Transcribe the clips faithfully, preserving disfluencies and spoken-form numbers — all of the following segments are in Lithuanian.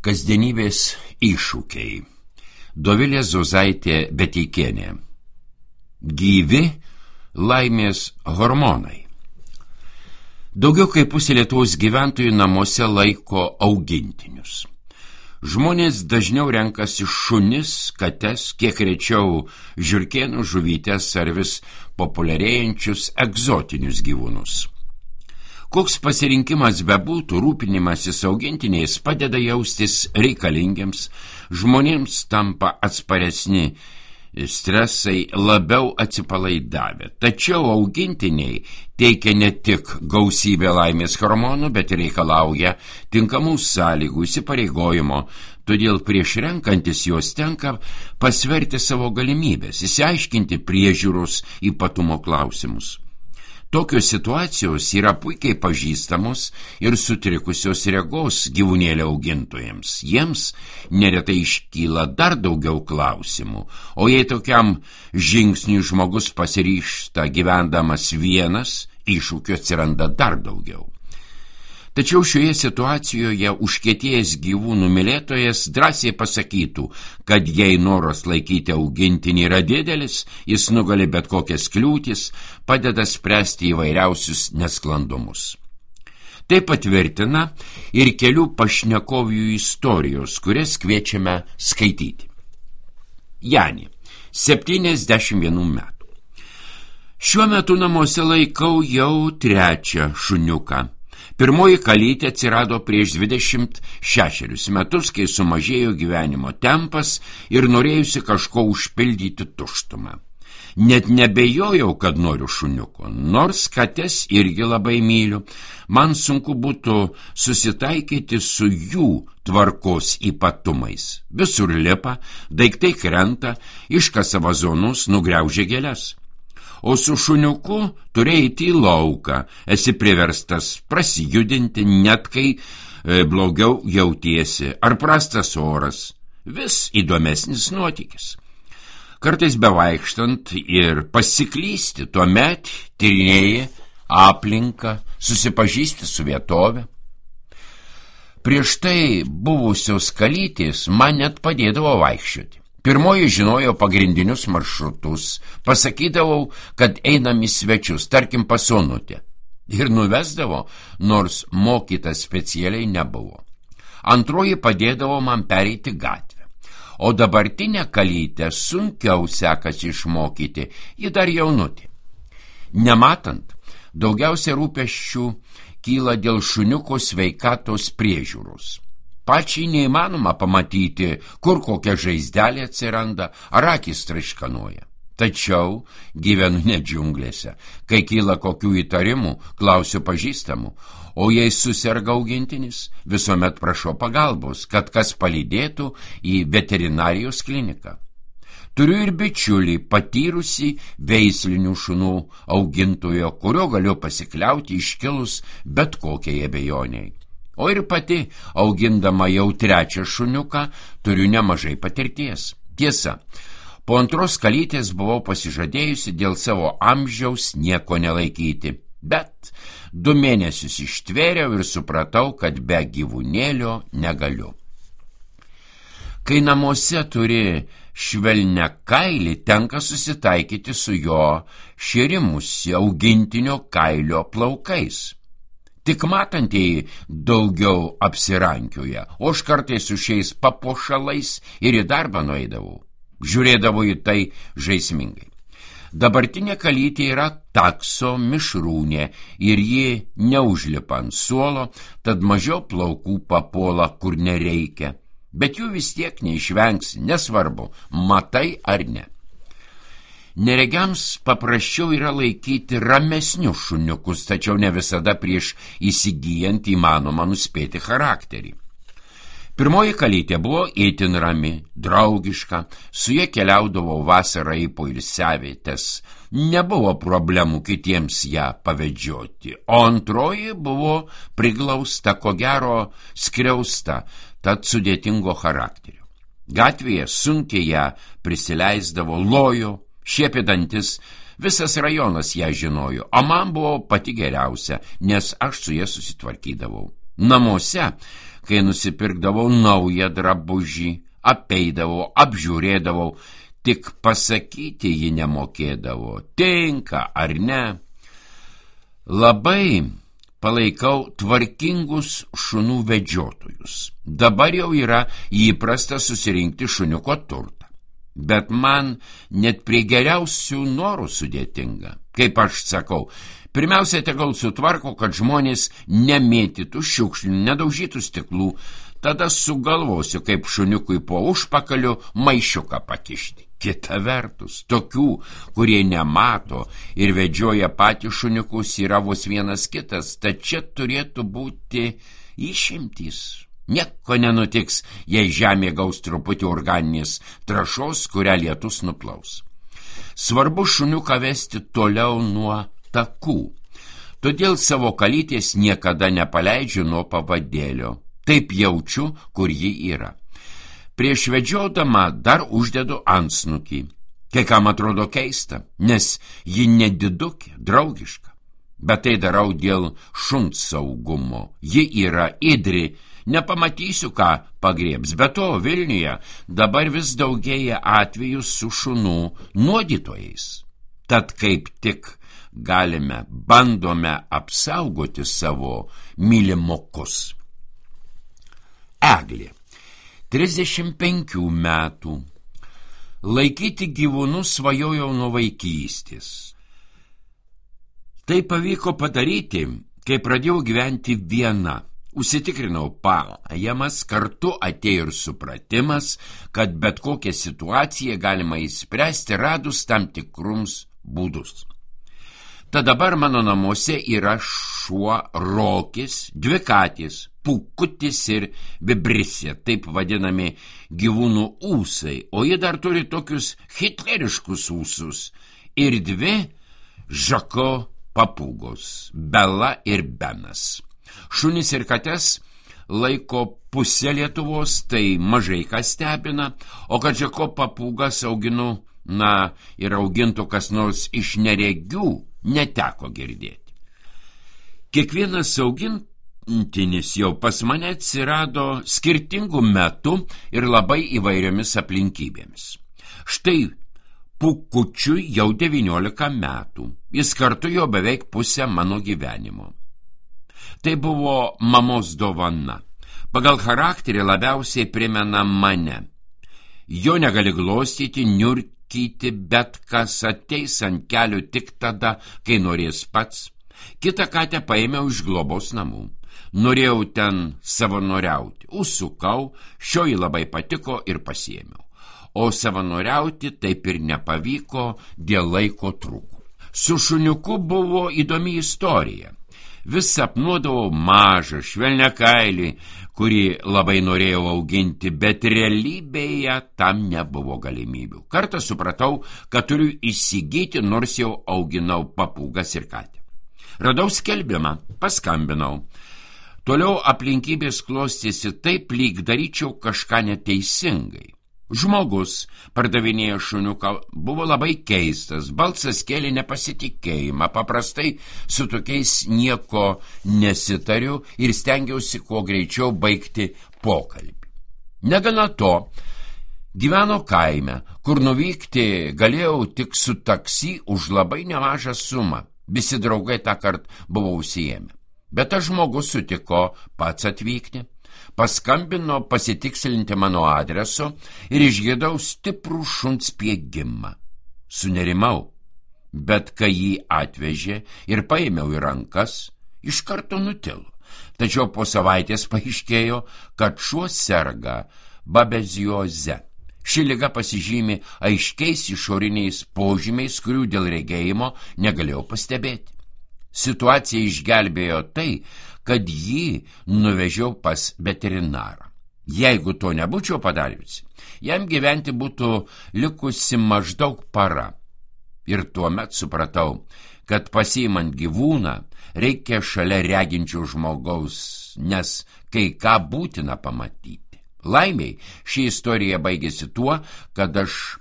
Kasdienybės iššūkiai. Dovilė Zuzaitė Beteikienė. Gyvi laimės hormonai. Daugiau kaip pusė Lietuvos gyventojų namuose laiko augintinius. Žmonės dažniau renkasi šunis, kates, kiek rečiau žiurkėnų, žuvytes ar vis populiarėjančius egzotinius gyvūnus. Koks pasirinkimas bebūtų, rūpinimasis augintiniais padeda jaustis reikalingiams, žmonėms tampa atsparesni stresai, labiau atsipalaidavę. Tačiau augintiniai teikia ne tik gausybę laimės hormonų, bet ir reikalauja tinkamų sąlygų, įsipareigojimo. Todėl prieš renkantis juos tenka pasverti savo galimybės, išsiaiškinti priežiūros ypatumo klausimus. Tokios situacijos yra puikiai pažįstamos ir sutrikusios regos gyvūnėlio augintojams. Jiems neretai iškyla dar daugiau klausimų, o jei tokiam žingsniui žmogus pasiryžta gyvendamas vienas, iššūkių atsiranda dar daugiau. Tačiau šioje situacijoje užkietėjęs gyvūnų mylėtojas drąsiai pasakytų, kad jei noras laikyti augintinį yra didelis, jis nugali bet kokias kliūtis, padeda spręsti įvairiausius nesklandumus. Tai patvirtina ir kelių pašnekovių istorijos, kurias kviečiame skaityti. Jani, septyniasdešimt vienų metų. Šiuo metu namuose laikau jau trečią šuniuką. Pirmoji kalytė atsirado prieš dvidešimt šešerius metus, kai sumažėjo gyvenimo tempas ir norėjusi kažko užpildyti tuštumą. Net nebejojau, kad noriu šuniuko, nors kates irgi labai myliu. Man sunku būtų susitaikyti su jų tvarkos ypatumais. Visur lipa, daiktai krenta, iškasa vazonus, nugriaužia gėles. O su šuniuku turi eiti į lauką, esi priverstas prasijudinti, net kai e, blogiau jautiesi, ar prastas oras, vis įdomesnis nuotykis. Kartais bevaikštant ir pasiklysti, tuomet tyrinėji aplinką, susipažįsti su vietove. Prieš tai buvusios kalytės man net padėdavo vaikščioti. Pirmoji žinojo pagrindinius maršrutus, pasakydavau, kad einam į svečius, tarkim pas Onutę, ir nuvesdavo, nors mokyta specialiai nebuvo. Antroji padėdavo man pereiti gatvę, o dabartinę kalytę sunkiau sekasi išmokyti, ji dar jaunutė. Nematant, daugiausia rūpesčių kyla dėl šuniuko sveikatos priežiūros. Pačiai neįmanoma pamatyti, kur kokia žaizdelė atsiranda, ar akys traiškanoja. Tačiau gyvenu ne džiunglėse. Kai kyla kokių įtarimų, klausiu pažįstamų, o jei suserga augintinis, visuomet prašau pagalbos, kad kas palydėtų į veterinarijos kliniką. Turiu ir bičiulį, patyrusį veislinių šunų augintojo, kurio galiu pasikliauti iškilus bet kokiai abejoniai. O ir pati, augindama jau trečią šuniuką, turiu nemažai patirties. Tiesa, po antros kalytės buvau pasižadėjusi dėl savo amžiaus nieko nelaikyti, bet du mėnesius ištvėriau ir supratau, kad be gyvūnėlio negaliu. Kai namuose turi švelnią kailį, tenka susitaikyti su jo šėrimusi augintinio kailio plaukais. Tik matantieji daugiau apsirankioja, o aš kartais su šiais papuošalais ir į darbą nueidavau. Žiūrėdavau į tai žaismingai. Dabartinė kalytė yra takso mišrūnė ir ji neužlipa ant suolo, tad mažiau plaukų papuola, kur nereikia. Bet jų vis tiek neišvengsi, nesvarbu, matai ar ne. Neregiams paprasčiau yra laikyti ramesnius šuniukus, tačiau ne visada prieš įsigijant įmanoma nuspėti charakterį. Pirmoji kalytė buvo itin rami, draugiška, su ja keliaudavau vasarą į poilsiavietes, nebuvo problemų kitiems ją pavedžioti, o antroji buvo priglausta, ko gero skriausta, tad sudėtingo charakterio. Gatvėje sunkiai ją prisileisdavo, lojo, šiepė dantis, visas rajonas ją žinojo, o man buvo pati geriausia, nes aš su ja susitvarkydavau. Namuose kai nusipirkdavau naują drabužį, apeidavau, apžiūrėdavau, tik pasakyti ji nemokėdavo, tinka ar ne. Labai palaikau tvarkingus šunų vedžiotojus. Dabar jau yra įprasta susirinkti šuniuko turtą. Bet man net prie geriausių norų sudėtinga. Kaip aš sakau, pirmiausia tegul sutvarko, kad žmonės nemėtytų šiukšlių, nedaužytų stiklų, tada sugalvosiu, kaip šuniukui po užpakaliu maišiuką pakišti. Kita vertus, tokių, kurie nemato ir vedžioja patys šuniukus, yra vos vienas kitas, tad čia turėtų būti išimtys. Nieko nenutiks, jei žemė gaus truputį organinės trąšos, kurią lietus nuplaus. Svarbu šuniuką vesti toliau nuo takų. Todėl savo kalytės niekada nepaleidžiu nuo pavadėlio. Taip jaučiu, kur ji yra. Prieš vedžiodama dar uždedu antsnukį. Kai kam atrodo keista, nes ji nedidukė, draugiška. Bet tai darau dėl šuns saugumo. Ji yra ėdri, nepamatysiu, ką pagriebs. Be to, Vilniuje dabar vis daugėja atvejų su šunų nuodytojais. Tad kaip tik galime, bandome apsaugoti savo mylimokus. Eglė, trisdešimt penkių metų. Laikyti gyvūnus svajojau nuo vaikystės. Tai pavyko padaryti, kai pradėjau gyventi viena. Užsitikrinau pajamas, kartu atėjo ir supratimas, kad bet kokią situaciją galima įspręsti radus tam tikrums būdus. Tad dabar mano namuose yra šuo Rokis, dvi katės, Pūkutis ir Vibrisė, taip vadinami gyvūnų ūsai, o jie dar turi tokius hitleriškus ūsus, ir dvi Žako papūgos, Bela ir Benas. Šunis ir kates laiko pusė Lietuvos, tai mažai kas stebina, o kad Žako papūgas auginu, na, ir augintų kas nors iš neregių, neteko girdėti. Kiekvienas augintinis jau pas mane atsirado skirtingų metų ir labai įvairiomis aplinkybėmis. Štai Pūkučiui jau devyniolika metų, jis kartu jau beveik pusę mano gyvenimo. Tai buvo mamos dovana. Pagal charakterį labiausiai primena mane. Jo negali glostyti, niurkyti, bet kas ateis ant kelių tik tada, kai norės pats. Kitą katę paėmiau iš globos namų. Norėjau ten savanoriauti. Užsukau, šioji labai patiko ir pasiėmiau. O savanoriauti taip ir nepavyko dėl laiko trūkų. Su šuniuku buvo įdomi istorija. Vis sapnuodavau mažą švelniakailį, kurį labai norėjau auginti, bet realybėje tam nebuvo galimybių. Kartą supratau, kad turiu įsigyti, nors jau auginau papūgas ir katę. Radau skelbimą, paskambinau. Toliau aplinkybės klostėsi taip, lyg daryčiau kažką neteisingai. Žmogus, pardavinėję šuniuką, buvo labai keistas, balsas kėlė nepasitikėjimą, paprastai su tokiais nieko nesitariu ir stengiausi kuo greičiau baigti pokalbį. Negana to, gyveno kaime, kur nuvykti galėjau tik su taksi už labai nemažą sumą, visi draugai tą kart buvo užsiėmę. Bet tas žmogus sutiko pats atvykti. Paskambino pasitikslinti mano adreso ir išgirdau stiprų šuns spiegimą. Sunerimau, bet kai jį atvežė ir paėmiau į rankas, iš karto nutilo. Tačiau po savaitės paaiškėjo, kad šuo serga babezioze. Ši liga pasižymi aiškiais išoriniais požymiais, kurių dėl regėjimo negalėjau pastebėti. Situaciją išgelbėjo tai, kad jį nuvežiau pas veterinarą. Jeigu to nebūčiau padariusi, jam gyventi būtų likusi maždaug para. Ir tuomet supratau, kad pasiimant gyvūną reikia šalia reginčių žmogaus, nes kai ką būtina pamatyti. Laimiai, ši istorija baigėsi tuo, kad aš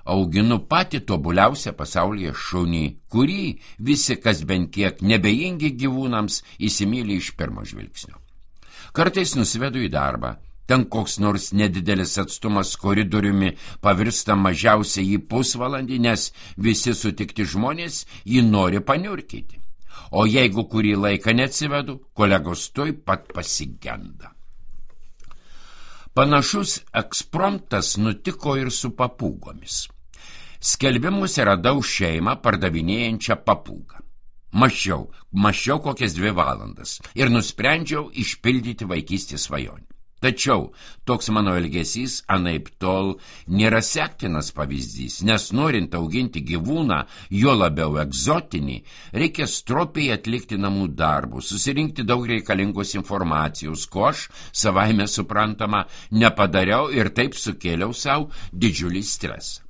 auginu patį tobuliausią pasaulyje šunį, kurį visi, kas bent kiek nebejingi gyvūnams, įsimyli iš pirmo žvilgsnio. Kartais nusivedu į darbą. Ten koks nors nedidelis atstumas koridoriumi pavirsta mažiausiai į pusvalandį, nes visi sutikti žmonės jį nori paniurkyti. O jeigu kurį laiką neatsivedu, kolegos tuoj pat pasigenda. Panašus ekspromtas nutiko ir su papūgomis. Skelbimuose radau šeimą pardavinėjančią papūgą. Mašiau, mašiau kokias dvi valandas ir nusprendžiau išpildyti vaikystės svajonę. Tačiau toks mano elgesys anaip tol nėra sektinas pavyzdys, nes norint auginti gyvūną, jo labiau egzotinį, reikia stropiai atlikti namų darbus, susirinkti daug reikalingos informacijos, ko aš savaime suprantama nepadariau ir taip sukėliau savo didžiulį stresą.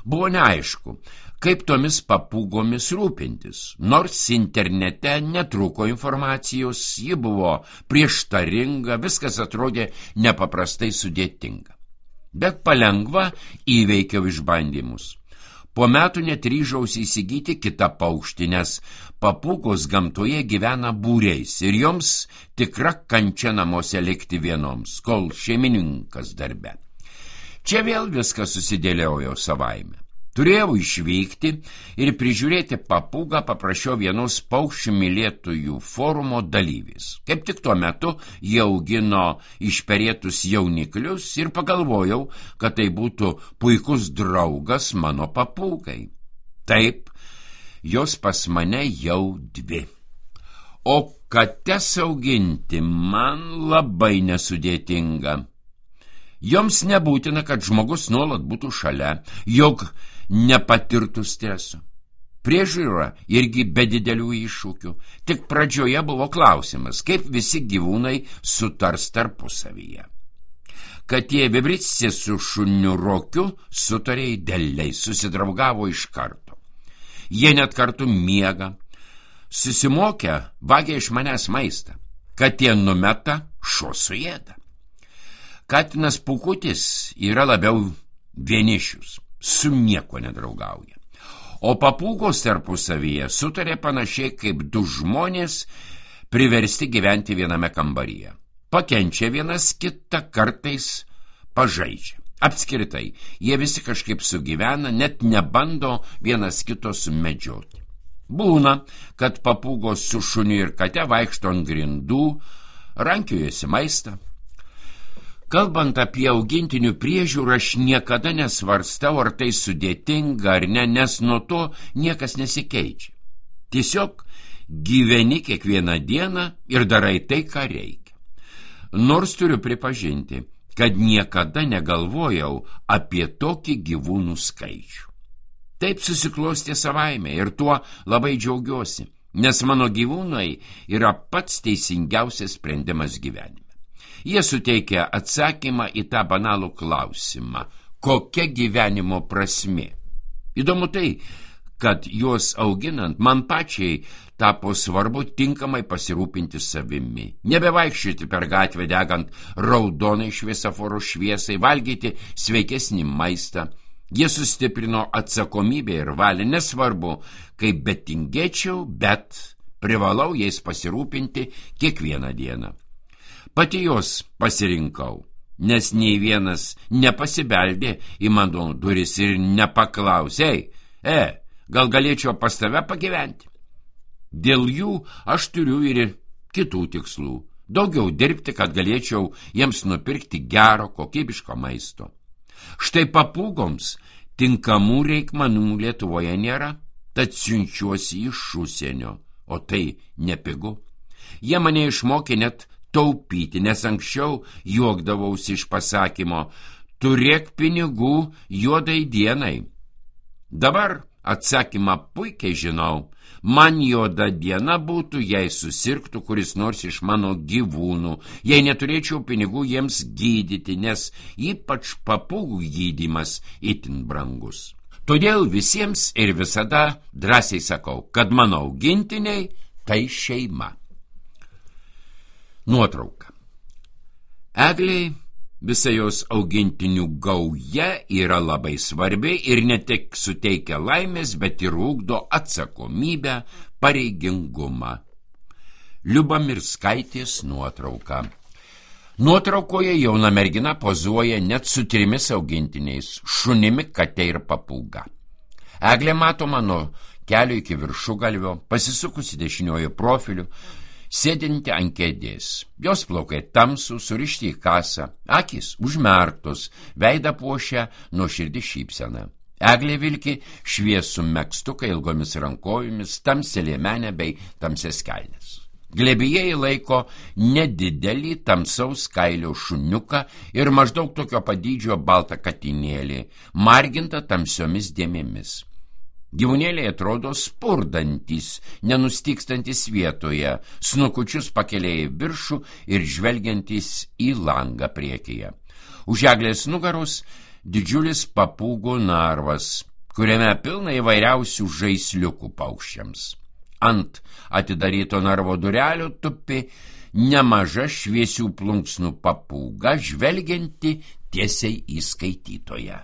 Buvo neaišku, kaip tomis papūgomis rūpintis. Nors internete netrūko informacijos, ji buvo prieštaringa, viskas atrodė nepaprastai sudėtinga. Bet palengva įveikiau išbandymus. Po metų net ryžausi įsigyti kitą paukštį, nes papūgos gamtoje gyvena būriais ir joms tikra kančia namuose likti vienoms, kol šeimininkas darbe. Čia vėl viskas susidėliojo savaime. Turėjau išvykti ir prižiūrėti papūgą paprašiau vienos paukščių mylėtojų forumo dalyvis. Kaip tik tuo metu jie augino išperėtus jauniklius ir pagalvojau, kad tai būtų puikus draugas mano papūgai. Taip, jos pas mane jau dvi. O kates auginti man labai nesudėtinga. Joms nebūtina, kad žmogus nuolat būtų šalia, jog nepatirtų streso. Priežiūra irgi be didelių iššūkių. Tik pradžioje buvo klausimas, kaip visi gyvūnai sutars tarpusavyje. Katė Vibricė su šuniu Rokiu sutarė idealiai, susidraugavo iš karto. Jie net kartu miega. Susimokę, vagia iš manęs maistą. Katė numeta, šuo suėda. Katinas Pūkutis yra labiau vienišius, su nieko nedraugauja. O papūgos tarpusavyje sutarė panašiai kaip du žmonės priversti gyventi viename kambaryje. Pakenčia vienas kitą, kartais pažaidžia. Apskritai, jie visi kažkaip sugyvena, net nebando vienas kito sumedžioti. Būna, kad papūgos su šuniu ir kate vaikšto ant grindų, rankiojasi maistą. Kalbant apie augintinių priežiūrą, aš niekada nesvarstau, ar tai sudėtinga ar ne, nes nuo to niekas nesikeičia. Tiesiog gyveni kiekvieną dieną ir darai tai, ką reikia. Nors turiu pripažinti, kad niekada negalvojau apie tokį gyvūnų skaičių. Taip susiklostė savaime ir tuo labai džiaugiuosi, nes mano gyvūnai yra pats teisingiausias sprendimas gyvenime. Jie suteikia atsakymą į tą banalų klausimą, kokia gyvenimo prasmė. Įdomu tai, kad juos auginant man pačiai tapo svarbu tinkamai pasirūpinti savimi. Nebevaikščioti per gatvę degant raudonai šviesoforo šviesai, valgyti sveikesnį maistą. Jie sustiprino atsakomybę ir valią, nesvarbu, kaip betingėčiau, bet privalau jais pasirūpinti kiekvieną dieną. Pati jos pasirinkau, nes nei vienas nepasibeldė į mano duris ir nepaklausė, e, gal galėčiau pas tave pagyventi. Dėl jų aš turiu ir kitų tikslų. Daugiau dirbti, kad galėčiau jiems nupirkti gero, kokybiško maisto. Štai papūgoms tinkamų reikmenų Lietuvoje nėra, tad siunčiuosi iš užsienio, o tai nepigu. Jie mane išmokė net taupyti, nes anksčiau juokdavausi iš pasakymo, turėk pinigų juodai dienai. Dabar atsakymą puikiai žinau, man juoda diena būtų, jei susirgtų kuris nors iš mano gyvūnų, jei neturėčiau pinigų jiems gydyti, nes ypač papūgų gydymas itin brangus. Todėl visiems ir visada drąsiai sakau, kad mano augintiniai tai šeima. Nuotrauka. Egliai, visa jos augintinių gauja yra labai svarbi ir ne tik suteikia laimės, bet ir ugdo atsakomybę, pareigingumą. Liubamirskaitės nuotrauka. Nuotraukoje jauna mergina pozuoja net su trimis augintiniais – šunimi, kate ir papūga. Eglė matoma nuo kelio iki viršugalvio, pasisukusi dešiniojo profiliu, sėdinti ant kėdės. Jos plaukai tamsų, surišti į kasą, akys užmerktos, veidą puošia nuoširdi šypsena. Eglė vilki šviesų megstuką ilgomis rankojomis, tamsią liemenę bei tamsias kelnes. Glėbyje jį laiko nedidelį tamsaus kailio šuniuką ir maždaug tokio padydžio baltą katinėlį, margintą tamsiomis dėmėmis. Gyvūnėliai atrodo spurdantis, nenustykstantis vietoje, snukučius pakelėję į viršų ir žvelgiantis į langą priekyje. Už eglės nugaros didžiulis papūgų narvas, kuriame pilna įvairiausių žaisliukų paukščiams. Ant atidaryto narvo durelio tupi nemaža šviesių plunksnų papūga, žvelgianti tiesiai į skaitytoją.